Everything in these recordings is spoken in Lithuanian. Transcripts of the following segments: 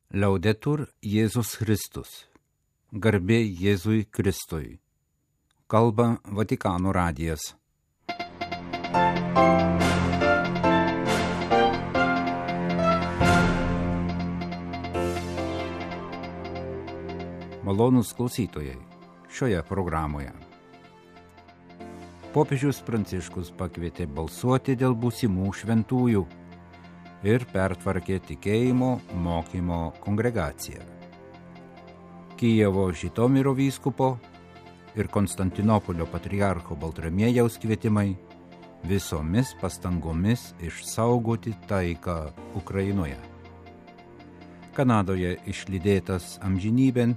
Laudetur Jėzus Kristus. Garbė Jėzui Kristui. Kalba Vatikano radijas. Malonūs klausytojai, šioje programoje. Popiežius Pranciškus pakvietė balsuoti dėl būsimų šventųjų ir pertvarkė tikėjimo mokymo kongregaciją. Kijevo Žitomiro vyskupo ir Konstantinopolio patriarcho Baltramiejaus kvietimai visomis pastangomis išsaugoti taiką Ukrainoje. Kanadoje išlydėtas amžinybėn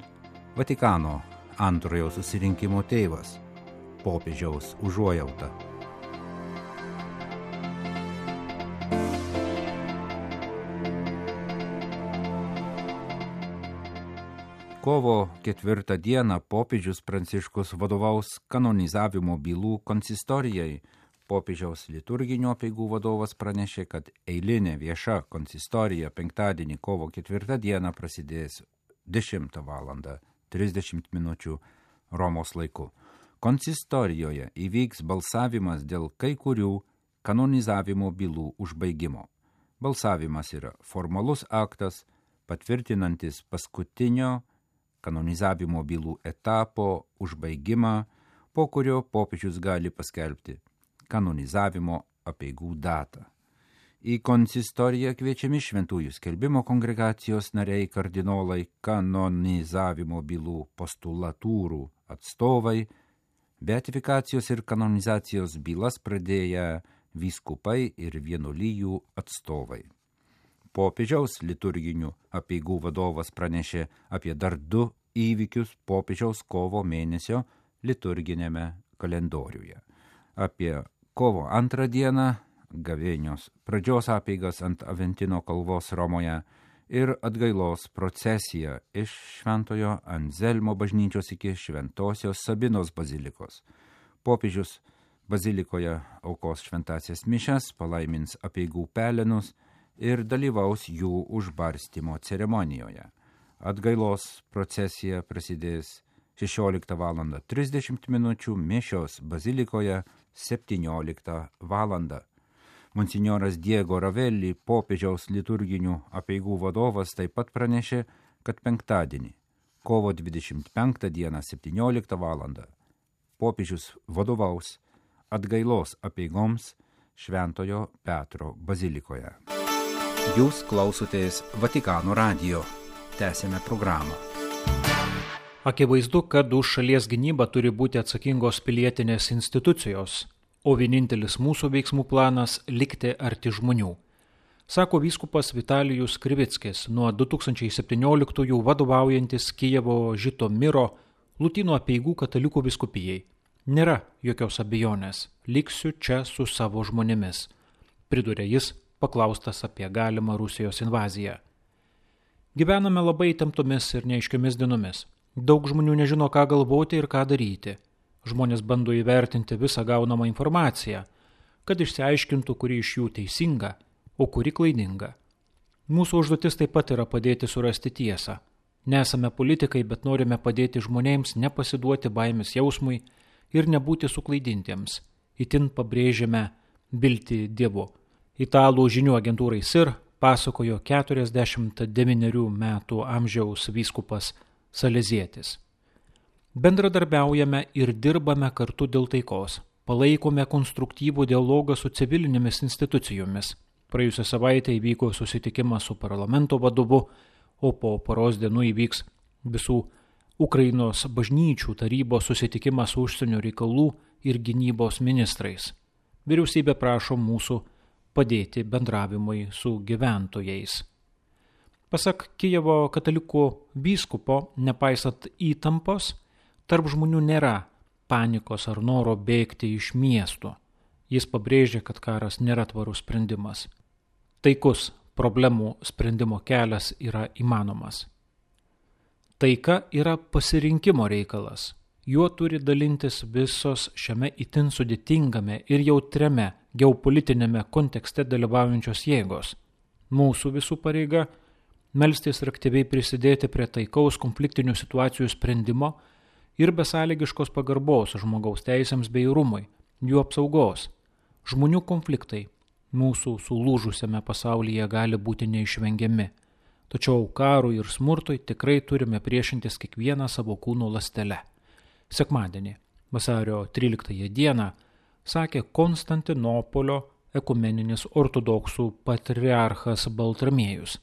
Vatikano antrojo susirinkimo tėvas, popiežiaus užuojauta. Kovo 4 dieną popiežius Pranciškus vadovaus kanonizavimo bylų konsistorijai. Popiežiaus liturginių apeigų vadovas pranešė, kad eilinė vieša konsistorija penktadienį kovo 4 dieną prasidės 10 val. 30 minučių Romos laiku. Konsistorijoje įvyks balsavimas dėl kai kurių kanonizavimo bylų užbaigimo. Balsavimas yra formalus aktas, patvirtinantis paskutinio kanonizavimo bylų etapo užbaigimą, po kurio popiežius gali paskelbti kanonizavimo apeigų datą. Į konsistoriją kviečiami šventųjų skelbimo kongregacijos nariai, kardinolai, kanonizavimo bylų postulatūrų atstovai, beatifikacijos ir kanonizacijos bylas pradėję vyskupai ir vienuolijų atstovai. Popiežiaus liturginių apeigų vadovas pranešė apie dar 2 įvykius popiežiaus kovo mėnesio liturginėme kalendoriuje. Apie kovo 2 dieną gavėnios pradžios apeigas ant Aventino kalvos Romoje ir atgailos procesiją iš Šventojo Anzelmo bažnyčios iki Šventosios Sabinos bazilikos. Popiežius bazilikoje aukos šventąsias mišias, palaimins apeigų pelenus ir dalyvaus jų užbarstymo ceremonijoje. Atgailos procesija prasidės 16 val. 30 minučių, mišios bazilikoje 17 val. Monsinjoras Diego Ravelli, popiežiaus liturginių apeigų vadovas, taip pat pranešė, kad penktadienį, kovo 25 dieną 17 val. Popiežius vadovaus atgailos apeigoms Šventojo Petro bazilikoje. Jūs klausotės Vatikano radijo. Tęsėme programą. Akivaizdu, kad už šalies gynybą turi būti atsakingos pilietinės institucijos, o vienintelis mūsų veiksmų planas – likti arti žmonių, sako vyskupas Vitalijus Krivickis, nuo 2017 vadovaujantis Kijevo Žitomiro Lotynų apeigų katalikų vyskupijai. Nėra jokios abejonės, liksiu čia su savo žmonėmis, pridūrė jis, paklaustas apie galimą Rusijos invaziją. Gyvename labai įtemptomis ir neaiškiomis dienomis. Daug žmonių nežino, ką galvoti ir ką daryti. Žmonės bando įvertinti visą gaunamą informaciją, kad išsiaiškintų, kuri iš jų teisinga, o kuri klaidinga. Mūsų užduotis taip pat yra padėti surasti tiesą. Nesame politikai, bet norime padėti žmonėms nepasiduoti baimės jausmui ir nebūti suklaidintiems. Itin pabrėžiame viltį Dievu. Italų žinių agentūrai SIR pasakojo 49 metų amžiaus vyskupas Salezietis. Bendradarbiaujame ir dirbame kartu dėl taikos. Palaikome konstruktyvų dialogą su civilinėmis institucijomis. Praėjusią savaitę įvyko susitikimas su parlamento vadovu, o po poros dienų įvyks visų Ukrainos bažnyčių tarybos susitikimas su užsienio reikalų ir gynybos ministrais. Vyriausybė prašo mūsų padėti bendravimui su gyventojais. Pasak Kijevo katalikų vyskupo, nepaisant įtampos, tarp žmonių nėra panikos ar noro bėgti iš miestų. Jis pabrėžė, kad karas nėra tvarus sprendimas. Taikus problemų sprendimo kelias yra įmanomas. Taika yra pasirinkimo reikalas. Juo turi dalintis visos šiame itin sudėtingame ir jautriame geopolitinėme kontekste dalyvaujančios jėgos. Mūsų visų pareiga melstis ir aktyviai prisidėti prie taikaus konfliktinių situacijų sprendimo ir besąlygiškos pagarbos žmogaus teisėms bei rūmui, jų apsaugos. Žmonių konfliktai mūsų sulūžusiame pasaulyje gali būti neišvengiami, tačiau karui ir smurtui tikrai turime priešintis kiekvieną savo kūno ląstelę. Sekmadienį, vasario 13 dieną, sakė Konstantinopolio ekumeninis ortodoksų patriarchas Baltramiejus,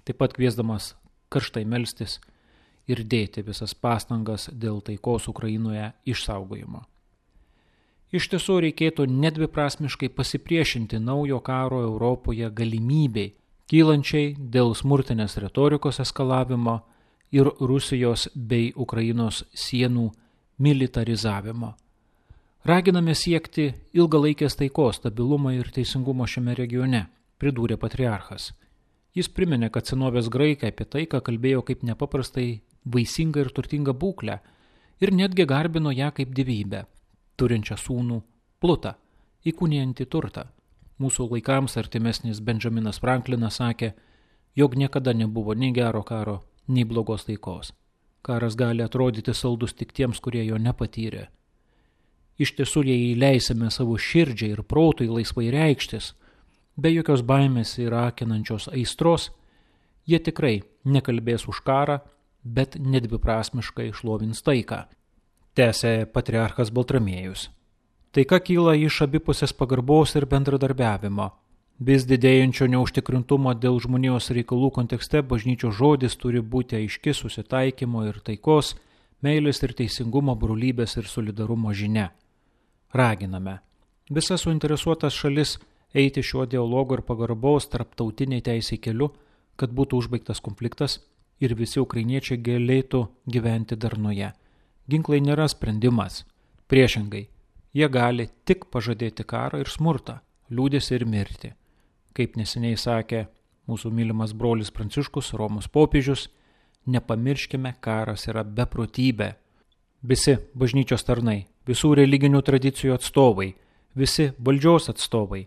taip pat kviesdamas karštai melstis ir dėti visas pastangas dėl taikos Ukrainoje išsaugojimo. Iš tiesų reikėtų nedviprasmiškai pasipriešinti naujo karo Europoje galimybei, kylančiai dėl smurtinės retorikos eskalavimo ir Rusijos bei Ukrainos sienų militarizavimo. Raginame siekti ilgalaikės taikos, stabilumo ir teisingumo šiame regione, pridūrė patriarchas. Jis priminė, kad senovės graikai apie taiką kalbėjo kaip nepaprastai vaisingą ir turtingą būklę ir netgi garbino ją kaip dievybę, turinčią sūnų Plutą, įkūnijantį turtą. Mūsų laikams artimesnis Benjaminas Franklinas sakė, jog niekada nebuvo nei gero karo, nei blogos taikos. Karas gali atrodyti saldus tik tiems, kurie jo nepatyrė. Iš tiesų, jei leisime savo širdžiai ir protui laisvai reikštis, be jokios baimės ir akinančios aistros, jie tikrai nekalbės už karą, bet nedviprasmiškai šlovins taiką, tęsė patriarchas Baltramiejus. Taika kyla iš abipusės pagarbos ir bendradarbiavimo. Vis didėjančio neužtikrintumo dėl žmonijos reikalų kontekste bažnyčios žodis turi būti aiški susitaikymo ir taikos, meilės ir teisingumo, brolybės ir solidarumo žinia. Raginame visas suinteresuotas šalis eiti šiuo dialogo ir pagarbos tarptautiniai teisei keliu, kad būtų užbaigtas konfliktas ir visi ukrainiečiai galėtų gyventi darnoje. Ginklai nėra sprendimas. Priešingai, jie gali tik pažadėti karą ir smurtą, liūdesį ir mirtį. Kaip neseniai sakė mūsų mylimas brolis Pranciškus, Romos popiežius, nepamirškime, karas yra beprotybė. Visi bažnyčios tarnai, visų religinių tradicijų atstovai, visi valdžios atstovai,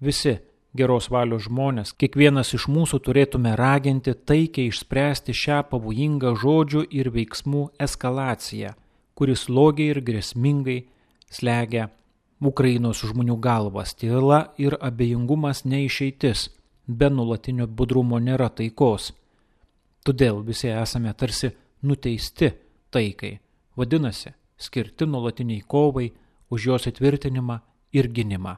visi geros valios žmonės, kiekvienas iš mūsų turėtume raginti taikiai išspręsti šią pavojingą žodžių ir veiksmų eskalaciją, kuris slogiai ir grėsmingai slegia Ukrainos žmonių galvas. Tyla ir abejingumas neišeitis, be nuolatinio budrumo nėra taikos. Todėl visi esame tarsi nuteisti taikai, vadinasi, skirti nuolatiniai kovai už jos įtvirtinimą ir gynimą.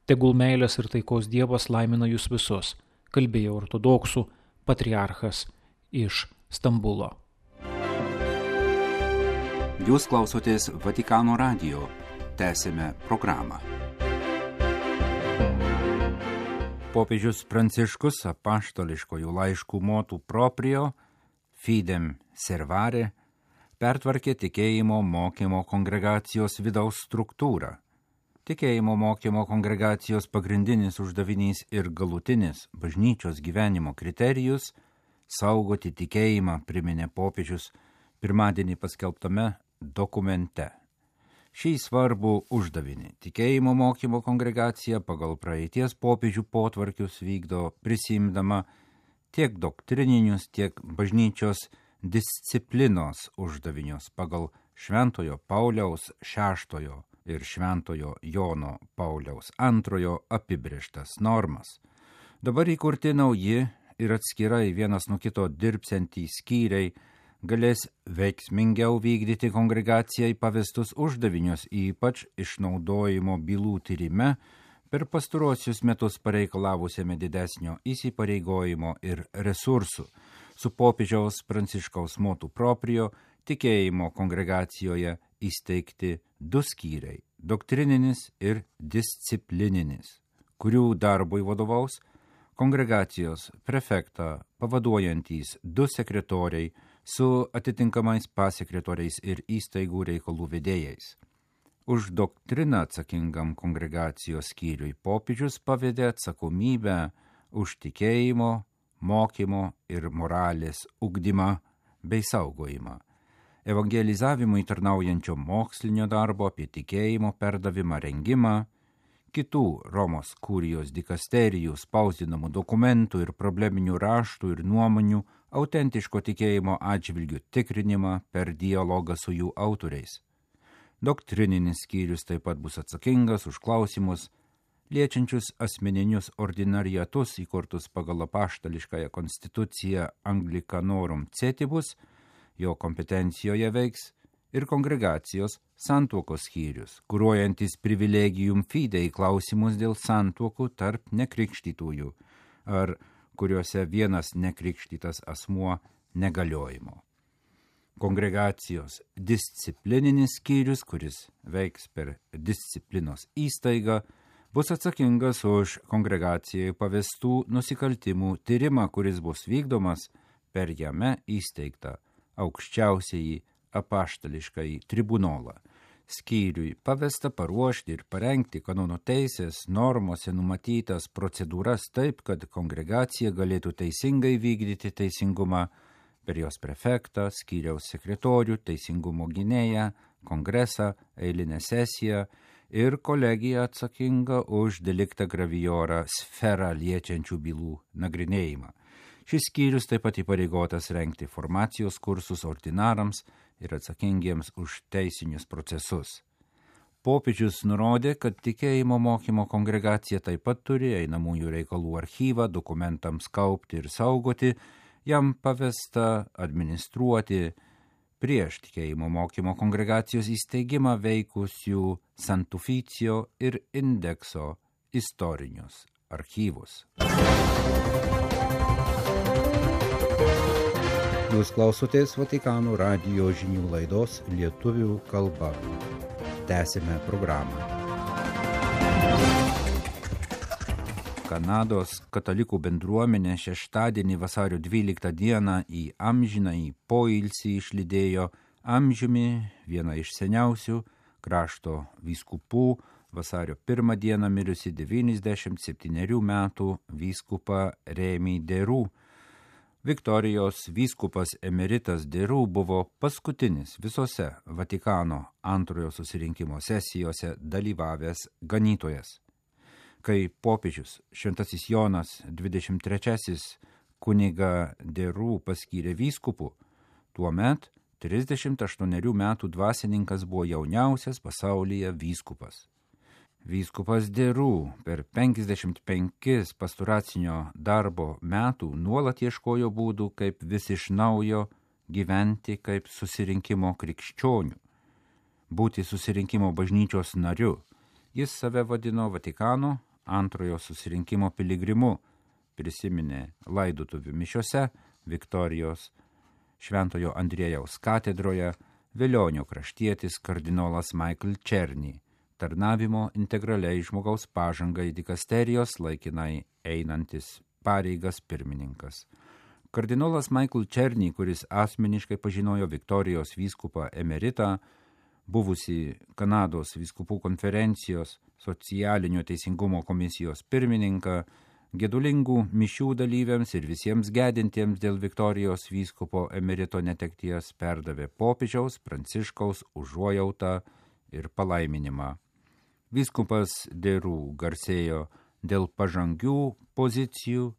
Tegul meilės ir taikos Dievas laimina jūs visus, kalbėjo ortodoksų patriarchas iš Stambulo. Jūs klausotės Vatikano radijo. Tęsime programą. Popiežius Pranciškus apaštališkojų laiškų motu proprio Fidem Servare pertvarkė tikėjimo mokymo kongregacijos vidaus struktūrą. Tikėjimo mokymo kongregacijos pagrindinis uždavinys ir galutinis bažnyčios gyvenimo kriterijus – saugoti tikėjimą, priminė popiežius pirmadienį paskelbtame dokumente. Šį svarbų uždavinį tikėjimo mokymo kongregacija pagal praeities popiežių potvarkius vykdo prisimdama tiek doktrininius, tiek bažnyčios disciplinos uždavinius pagal Šventojo Pauliaus VI ir Šventojo Jono Pauliaus II apibrėžtas normas. Dabar įkurti nauji ir atskirai vienas nuo kito dirbsiantys skyriai galės veiksmingiau vykdyti kongregacijai pavestus uždavinius, ypač išnaudojimo bylų tyrime per pastaruosius metus pareikalavusiame didesnio įsipareigojimo ir resursų. Su popiežiaus Pranciškaus motu proprio tikėjimo kongregacijoje įsteigti 2 skyriai – doktrininis ir disciplininis, kurių darbui vadovaus kongregacijos prefektą pavaduojantys 2 sekretoriai su atitinkamais pasekretoriais ir įstaigų reikalų vedėjais. Už doktriną atsakingam kongregacijos skyriui popiežius pavedė atsakomybę už tikėjimo, mokymo ir moralės ugdymą bei saugojimą, evangelizavimui tarnaujančio mokslinio darbo apie tikėjimo perdavimą rengimą, kitų Romos kurijos dikasterijų spausdinamų dokumentų ir probleminių raštų ir nuomonių autentiško tikėjimo atžvilgių tikrinimą per dialogą su jų autoriais. Doktrininis skyrius taip pat bus atsakingas už klausimus, liečiančius asmeninius ordinariatus įkurtus pagal apaštališkąją konstituciją Anglicanorum Cetibus, jo kompetencijoje veiks ir kongregacijos santuokos skyrius, kuruojantis privilegijum fidei klausimus dėl santuokų tarp nekrikštytųjų, ar kuriuose vienas nekrikštytas asmuo negaliojimo. Kongregacijos disciplininis skyrius, kuris veiks per disciplinos įstaigą, bus atsakingas už kongregacijai pavestų nusikaltimų tyrimą, kuris bus vykdomas per jame įsteigtą aukščiausiąjį apaštališkąjį tribunolą. Skyriui pavesta paruošti ir parengti kanonų teisės normose numatytas procedūras taip, kad kongregacija galėtų teisingai vykdyti teisingumą per jos prefektą, skyriaus sekretorių, teisingumo gynėją, kongresą, eilinę sesiją ir kolegiją atsakingą už deliktą graviorą sferą liečiančių bylų nagrinėjimą. Šis skyrius taip pat įpareigotas rengti formacijos kursus ordinarams ir atsakingiems už teisinius procesus. Popiežius nurodė, kad tikėjimo mokymo kongregacija taip pat turi einamųjų reikalų archyvą dokumentams kaupti ir saugoti, jam pavesta administruoti prieš tikėjimo mokymo kongregacijos įsteigimą veikusių Santuficio ir Indekso istorinius archyvus. Jūs klausotės Vatikano radijo žinių laidos lietuvių kalba. Tęsime programą. Kanados katalikų bendruomenė šeštadienį vasario 12 dieną į amžinąjį poilsį išlydėjo amžiumi vieną iš seniausių krašto vyskupų, vasario 1 dieną mirusi 97 metų vyskupą Remi Derų. Viktorijos vyskupas emeritas Derų buvo paskutinis visose Vatikano antrojo susirinkimo sesijose dalyvavęs ganytojas. Kai popiežius Šventasis Jonas 23 kunigą Derų paskyrė vyskupu, tuomet 38 metų dvasininkas buvo jauniausias pasaulyje vyskupas. Vyskupas Derų per 55 pastoracinio darbo metų nuolat ieškojo būdų, kaip vis iš naujo gyventi kaip susirinkimo krikščionių, būti susirinkimo bažnyčios nariu. Jis save vadino Vatikano antrojo susirinkimo piligrimu, prisiminė laidotuvių mišiose Viktorijos Šventojo Andriejaus katedroje Velionio kraštietis kardinolas Michael Černy, tarnavimo integraliai žmogaus pažangai dikasterijos laikinai einantis pareigas pirmininkas. Kardinolas Michael Černy, kuris asmeniškai pažinojo Viktorijos vyskupą emeritą, buvusi Kanados vyskupų konferencijos socialinio teisingumo komisijos pirmininką, gedulingų mišių dalyviams ir visiems gedintiems dėl Viktorijos vyskupo emerito netekties perdavė popiežiaus Pranciškaus užuojautą ir palaiminimą. Vyskupas Derų garsėjo dėl pažangių pozicijų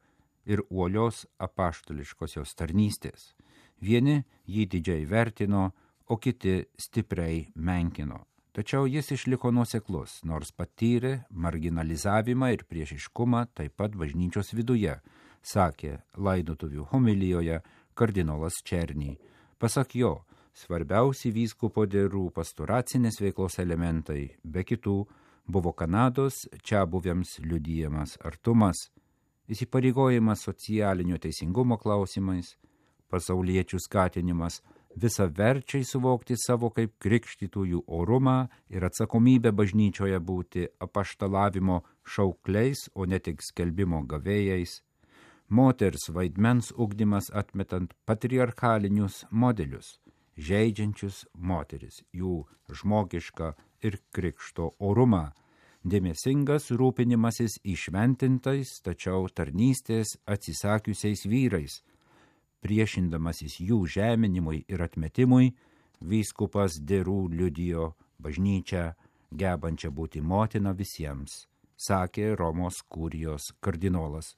ir uolios apaštališkosios tarnystės. Vieni jį didžiai vertino, o kiti stipriai menkino. Tačiau jis išliko nuoseklus, nors patyrė marginalizavimą ir priešiškumą taip pat bažnyčios viduje, sakė laidotuvių homilijoje kardinolas Černy. Pasak jo, svarbiausi vyskupo Derų pastoracinės veiklos elementai, be kitų, buvo Kanados čiabuvėms liudijamas artumas, įsipareigojimas socialinio teisingumo klausimais, pasauliečių skatinimas visaverčiai suvokti savo kaip krikštytųjų orumą ir atsakomybę bažnyčioje būti apaštalavimo šaukliais, o ne tik skelbimo gavėjais, moters vaidmens ugdymas atmetant patriarchalinius modelius, žeidžiančius moteris, jų žmogišką ir krikšto orumą, dėmesingas rūpinimasis įšventintais, tačiau tarnystės atsisakiusiais vyrais, priešindamasis jų žeminimui ir atmetimui, vyskupas Derų liudijo bažnyčią, gebančią būti motina visiems, sakė Romos kurijos kardinolas.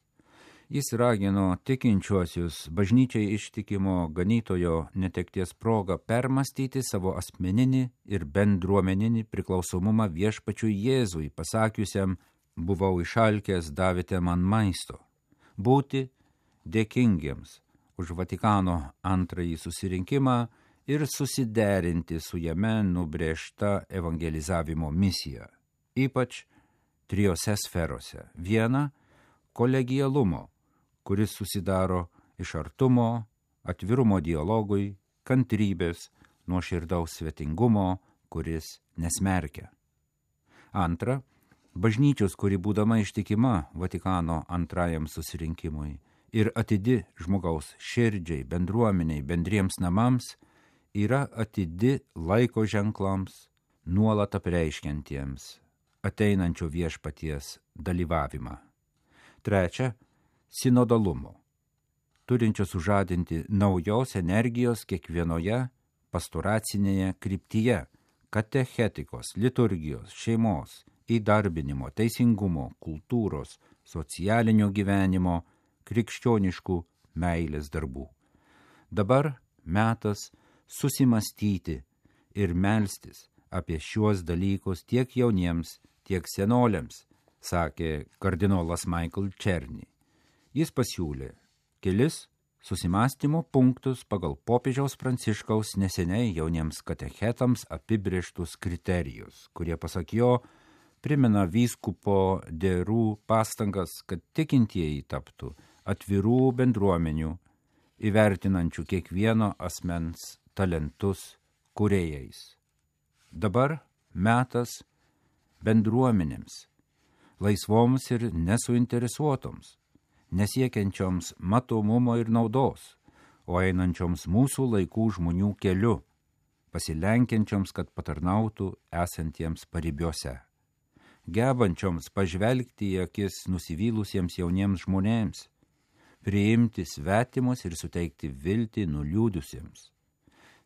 Jis ragino tikinčiuosius bažnyčiai ištikimo ganytojo netekties progą permastyti savo asmeninį ir bendruomeninį priklausomumą viešpačiui Jėzui, pasakiusiam: buvau išalkęs, davėte man maisto. Būti dėkingiems už Vatikano antrąjį susirinkimą ir susiderinti su jame nubrėžta evangelizavimo misija, ypač trijose sferose. Viena – kolegialumo, kuris susidaro iš artumo, atvirumo dialogui, kantrybės, nuoširdaus svetingumo, kuris nesmerkia. Antra, bažnyčios, kuri būdama ištikima Vatikano antrajam susirinkimui ir atidi žmogaus širdžiai, bendruomeniai, bendriems namams, yra atidi laiko ženklams, nuolat apreiškiantiems ateinančio viešpaties dalyvavimą. Trečia, sinodalumo, turinčio sužadinti naujos energijos kiekvienoje pastoracinėje kryptyje, katechetikos, liturgijos, šeimos, įdarbinimo, teisingumo, kultūros, socialinio gyvenimo, krikščioniškų meilės darbų. Dabar metas susimastyti ir melstis apie šiuos dalykus tiek jauniems, tiek senoliams, sakė kardinolas Michael Czerny. Jis pasiūlė kelis susimastymo punktus pagal popiežiaus Pranciškaus neseniai jauniems katechetams apibrėžtus kriterijus, kurie, pasak jo, primena vyskupo Derų pastangas, kad tikintieji taptų atvirų bendruomenių, įvertinančių kiekvieno asmens talentus kūrėjais. Dabar metas bendruomenėms, laisvoms ir nesuinteresuotoms, nesiekiančioms matomumo ir naudos, o einančioms mūsų laikų žmonių keliu, pasilenkiančioms, kad patarnautų esantiems paribiuose, gebančioms pažvelgti į akis nusivylusiems jauniems žmonėms, priimti svetimus ir suteikti viltį nuliūdusiems,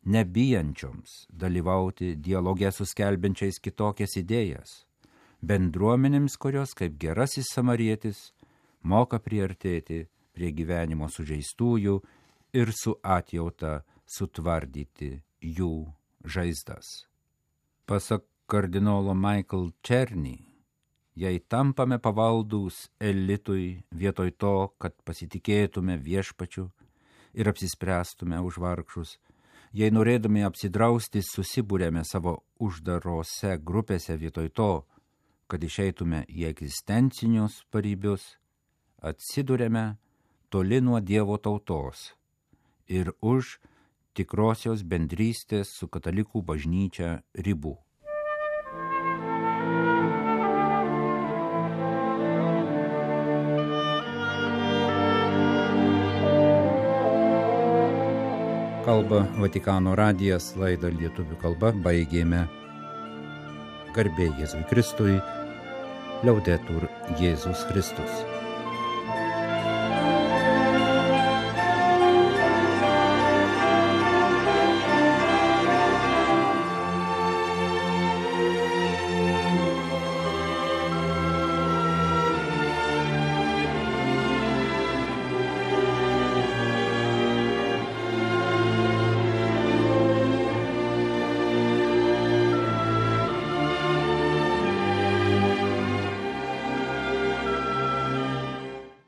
nebijančioms dalyvauti dialoge su skelbiančiais kitokias idėjas, bendruomenėms, kurios kaip gerasis samarietis moka priartėti prie gyvenimo sužeistųjų ir su atjauta sutvardyti jų žaizdas. Pasak kardinolo Michael Czerny, jei tampame pavaldūs elitui vietoj to, kad pasitikėtume viešpačiu ir apsispręstume už vargšus, jei norėdami apsidrausti susibūrėme savo uždarose grupėse vietoj to, kad išeitume į egzistencinius paribius, atsidūrėme toli nuo Dievo tautos ir už tikrosios bendrystės su katalikų bažnyčia ribų. Kalba Vatikano radijas, laidą lietuvių kalba baigėme. Garbė Jėzui Kristui, Liaudetur Jėzus Kristus.